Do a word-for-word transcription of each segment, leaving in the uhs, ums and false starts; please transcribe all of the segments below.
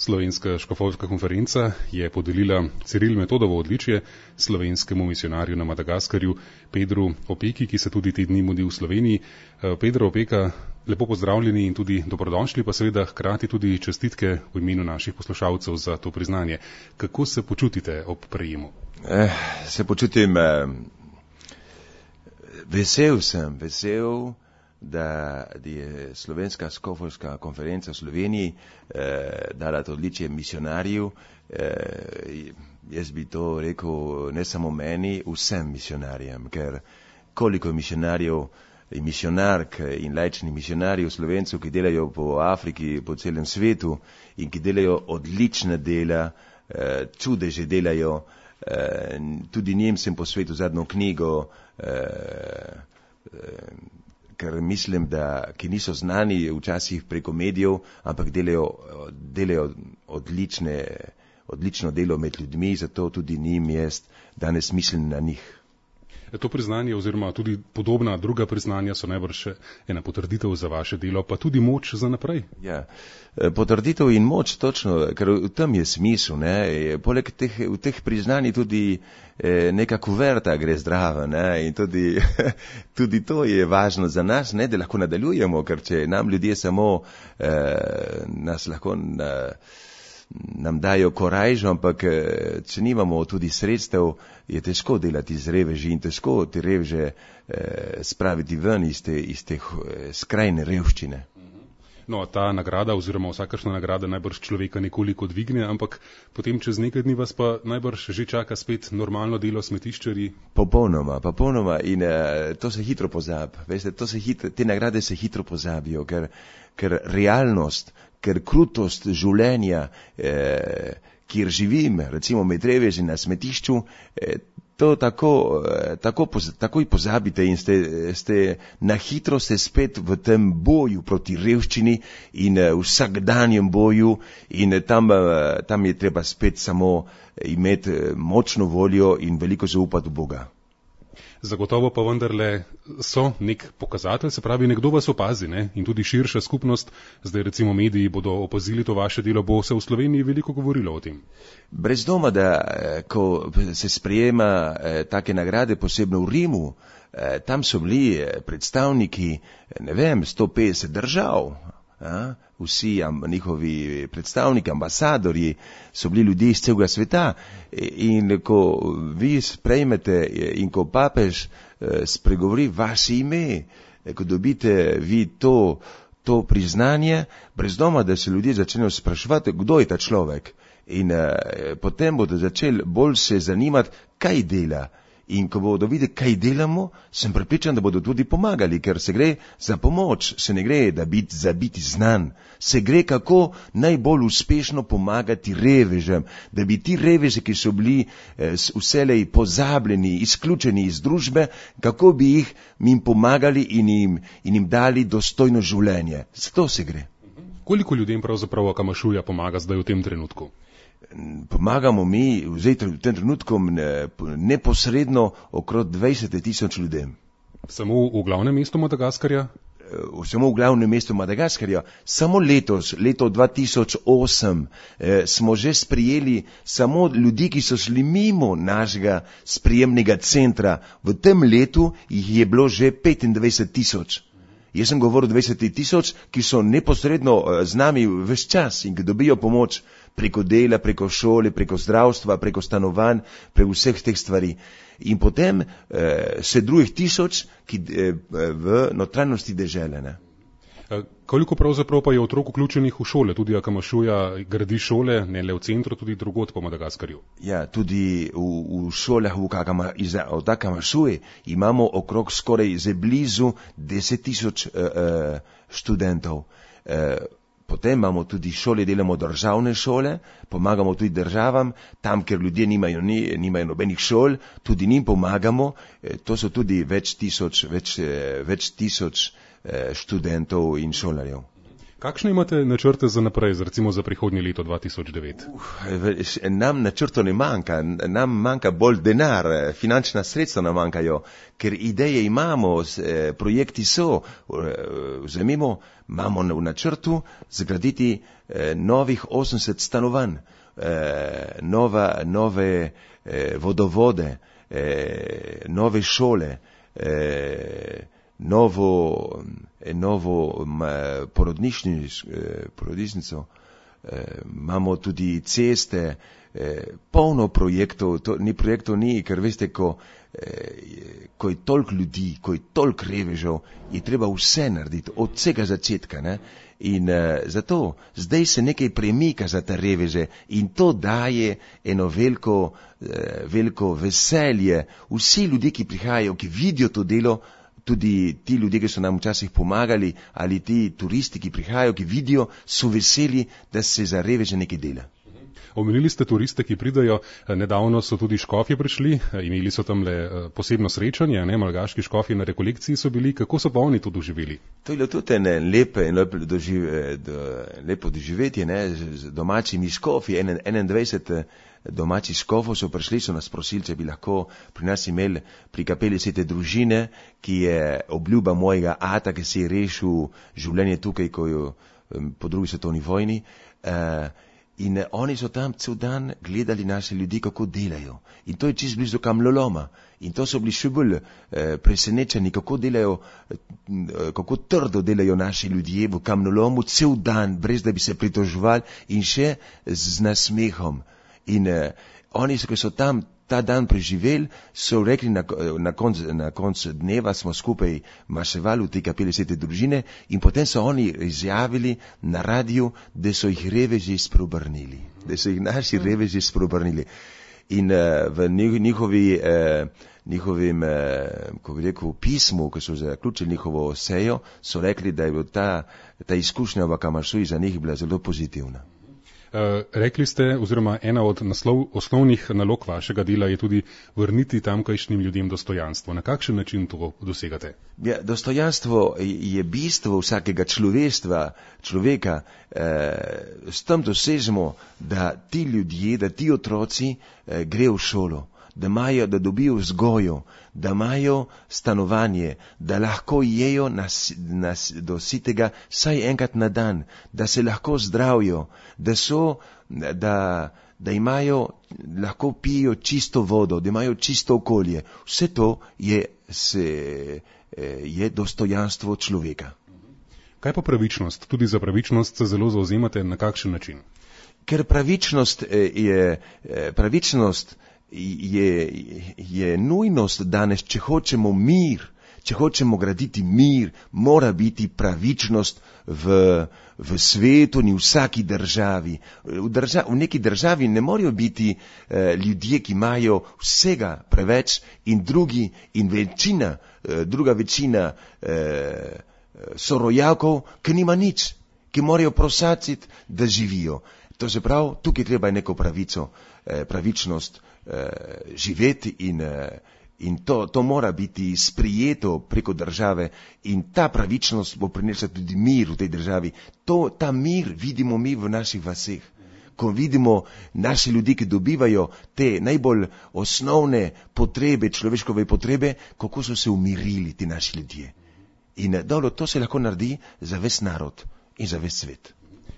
Slovenska škofovska konferenca je podelila Ciril Metodovo odličje slovenskemu misionarju na Madagaskarju Pedru Opeki, ki se tudi te dni mudi v Sloveniji. Pedro Opeka, lepo pozdravljeni in tudi dobrodošli, pa seveda hkrati tudi čestitke v imenu naših poslušalcev za to priznanje. Kako se počutite ob prejemu? Eh, se počutim, eh, vesel sem, vesel, da je Slovenska škofovska konferenca v Sloveniji eh, dala to odličje misionarju. Eh, jaz bi to rekel ne samo meni, vsem misionarjem, ker koliko misionarjev in misionark in laičnih misionarjev Slovencev, ki delajo po Afriki, po celem svetu in ki delajo odlična dela, eh, čudeže delajo. Eh, tudi njim sem posvetil zadnjo knjigo, eh, eh, ker mislim, da ki niso znani včasih preko medijev, ampak delajo, delajo odlične, odlično delo med ljudmi, zato tudi njim jaz danes mislim na njih. To priznanje oziroma tudi podobna druga priznanja so najbrž ena potrditev za vaše delo, pa tudi moč za naprej. Ja, potrditev in moč, točno, ker v tem je smisel. Ne? Poleg teh, v teh priznanj tudi neka kuverta gre zdrava, ne? In tudi, tudi to je važno za nas, ne? Da lahko nadaljujemo, ker če nam ljudje samo eh, nas lahko na, nam dajo korajžo, ampak če nimamo tudi sredstev, je težko delati z reveži in težko te reveže eh, spraviti ven iz te, iz te skrajne revščine. No, ta nagrada oziroma vsakršna nagrada najbrž človeka nekoliko dvigne, ampak potem čez nekaj dni vas pa najbrž že čaka spet normalno delo smetiščarji. Popolnoma, popolnoma in uh, to se hitro pozabi. Veste, to se hitro, te nagrade se hitro pozabijo, ker, ker realnost, ker krutost življenja, eh, kjer živim, recimo med reveži na smetišču, eh, to tako, eh, tako poz, takoj pozabite in ste, ste na hitro ste spet v tem boju proti revščini in eh, vsakdanjem boju in eh, tam, eh, tam je treba spet samo imeti eh, močno voljo in veliko zaupati v Boga. Zagotovo pa vendarle so nek pokazatelj, se pravi, nekdo vas opazi, ne? In tudi širša skupnost, zdaj recimo mediji bodo opazili to vaše delo, bo se v Sloveniji veliko govorilo o tem. Brez doma, da ko se sprejema eh, take nagrade, posebno v Rimu, eh, tam so bili predstavniki, ne vem, sto petdeset držav. A, vsi am, njihovi predstavniki, ambasadorji so bili ljudje iz celega sveta in ko vi sprejmete in ko papež eh, spregovori vaše ime, ko dobite vi to, to priznanje, brez doma, da se ljudje začnejo spraševati, kdo je ta človek in eh, potem bodo začeli bolj se zanimati, kaj dela. In ko bodo videli, kaj delamo, sem prepričan, da bodo tudi pomagali, ker se gre za pomoč, se ne gre da biti, za biti znan, se gre kako najbolj uspešno pomagati revežem, da bi ti reveži, ki so bili eh, vselej pozabljeni, izključeni iz družbe, kako bi jih jim pomagali in jim, in jim dali dostojno življenje. Zato se gre. Koliko ljudem pravzaprav Akamašuja pomaga zdaj v tem trenutku? Pomagamo mi v tem trenutku neposredno okrog dvajset tisoč ljudem. Samo v glavnem mestu Madagaskarja? Samo v glavnem mestu Madagaskarja. Samo letos, leto dva tisoč osem, eh, smo že sprijeli samo ljudi, ki so šli mimo našega sprijemnega centra. V tem letu jih je bilo že petindvajset tisoč. Jaz sem govoril dvajset tisoč, ki so neposredno z nami ves čas in ki dobijo pomoč preko dela, preko šole, preko zdravstva, preko stanovanj, preko vseh teh stvari. In potem eh, še drugih tisoč, ki eh, v notranjosti dežele. Ne? Koliko pravzaprav pa je otrok vključenih v šole? Tudi Akamašuja gradi šole, ne le v centru, tudi drugod po Madagaskarju. Ja, tudi v, v šolah v Akama, od Akamašuje imamo okrog skoraj že blizu deset tisoč uh, uh, študentov. Uh, Potem imamo tudi šole, delamo državne šole, pomagamo tudi državam, tam, ker ljudje nimajo, ni, nimajo nobenih šol, tudi njim pomagamo. E, to so tudi več tisoč, več, več tisoč e, študentov in šolarjev. Kakšne imate načrte za naprej, recimo za prihodnje leto dva tisoč devet? Uh, nam načrto ne manjka, nam manjka bolj denar, finančna sredstva nam manjkajo, ker ideje imamo, projekti so, vzemimo, imamo v načrtu zgraditi eh, novih osemdeset stanovanj, eh, nova, nove eh, vodovode, eh, nove šole, eh, novo, eh, novo eh, porodnišnico, eh, imamo tudi ceste, eh, polno projektov, to, ni projektov ni, ker veste, ko, eh, ko je toliko ljudi, ko je toliko revežev, je treba vse narediti, od vsega začetka, ne? In uh, zato zdaj se nekaj premika za te reveže in to daje eno veliko, uh, veliko veselje. Vsi ljudje, ki prihajajo, ki vidijo to delo, tudi ti ljudje, ki so nam včasih pomagali, ali ti turisti, ki prihajajo, ki vidijo, so veseli, da se za reveže nekaj dela. Omenili ste turiste, ki pridajo, nedavno so tudi škofje prišli, imeli so tam le posebno srečanje, ne, malgaški škofje na rekolekciji so bili, kako so pa oni to doživeli? To je bilo tudi ene lepe, lepo, doživ, do, lepo doživetje, ne, z domačimi škofji, enaindvajset domačih škofov so prišli, so nas prosili, če bi lahko pri nas imeli pri kapeli Svete družine, ki je obljuba mojega ata, ki si je rešil življenje tukaj, ko jo po drugi svetovni vojni. Uh, In oni so tam cel dan gledali naše ljudi, kako delajo. In to je čist blizu kamnoloma. In to so bili še bolj eh, presenečeni, kako delajo, eh, kako trdo delajo naši ljudje v kamnolomu cel dan, brez da bi se pritoževali in še z nasmehom. In eh, oni, ki so tam ta dan preživeli, so rekli na, na konc, na konc dneva smo skupaj maševali v tej kapeli Svete družine in potem so oni izjavili na radiju, da so jih reveži spreobrnili, da so jih naši reveži spreobrnili. In uh, v njihovi, uh, njihovim, uh, ko bi rekel, pismu, ko so zaključili njihovo sejo, so rekli, da je bila ta, ta izkušnja v Kamaršuji za njih bila zelo pozitivna. Uh, rekli ste, oziroma ena od naslov, osnovnih nalog vašega dela je tudi vrniti tamkajšnjim ljudem dostojanstvo. Na kakšen način to dosegate? Ja, dostojanstvo je bistvo vsakega človeštva, človeka. Uh, s tem dosežemo, da ti ljudje, da ti otroci uh, grejo v šolo, da imajo, da dobijo vzgojo, da imajo stanovanje, da lahko jejo nas, nas, do sitega vsaj enkrat na dan, da se lahko zdravijo, da so, da, da imajo, lahko pijo čisto vodo, da imajo čisto okolje. Vse to je, se, je dostojanstvo človeka. Kaj pa pravičnost? Tudi za pravičnost se zelo zauzemate, na kakšen način? Ker pravičnost je, pravičnost Je, je nujnost danes, če hočemo mir, če hočemo graditi mir, mora biti pravičnost v, v svetu in v vsaki državi. V, držav, v neki državi ne morajo biti eh, ljudje, ki imajo vsega preveč in drugi in večina, eh, druga večina eh, sorojakov, ki nima nič, ki morajo prosaciti, da živijo. To se pravi, tukaj treba je neko pravico, eh, pravičnost Uh, živeti in, uh, in to, to mora biti sprijeto preko države in ta pravičnost bo prinesla tudi mir v tej državi. To, ta mir vidimo mi v naših vaseh. Ko vidimo naši ljudi, ki dobivajo te najbolj osnovne potrebe, človeškove potrebe, kako so se umirili ti naši ljudje. In dobro, to se lahko naredi za ves narod in za ves svet.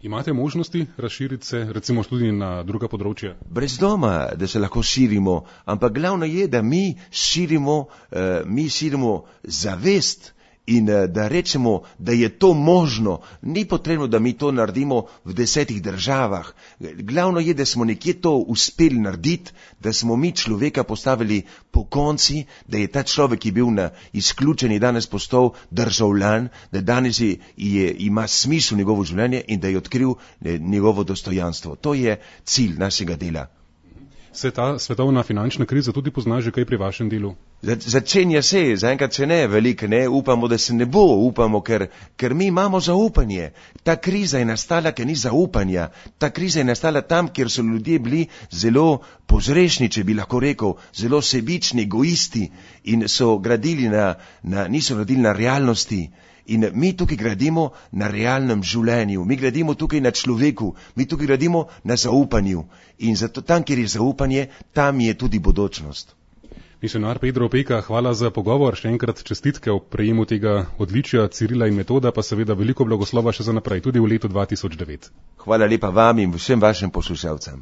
Imate možnosti razširiti se, recimo tudi na druga področja? Brez doma, da se lahko širimo, ampak glavno je, da mi širimo, uh, mi širimo zavest in uh, da rečemo, da je to možno. Ni potrebno, da mi to naredimo v desetih državah. Glavno je, da smo nekje to uspeli narediti, da smo mi človeka postavili po konci, da je ta človek, ki je bil na izključeni, danes postal državljan, da danes je, je, ima smisel njegovo življenje in da je odkril njegovo dostojanstvo. To je cilj našega dela. Se ta svetovna finančna kriza tudi pozna že kaj pri vašem delu? Začenja se, zaenkrat se ne, veliko ne, upamo, da se ne bo, upamo, ker, ker mi imamo zaupanje. Ta kriza je nastala, ker ni zaupanja. Ta kriza je nastala tam, kjer so ljudje bili zelo pozrešni, če bi lahko rekel, zelo sebični, egoisti in so gradili na, na, niso gradili na realnosti. In mi tukaj gradimo na realnem življenju, mi gradimo tukaj na človeku, mi tukaj gradimo na zaupanju. In zato tam, kjer je zaupanje, tam je tudi bodočnost. Misionar Pedro Opeka, hvala za pogovor, še enkrat čestitke ob prejemu tega odličja Cirila in Metoda, pa seveda veliko blagoslova še za naprej, tudi v letu dva tisoč devet. Hvala lepa vam in vsem vašim poslušalcem.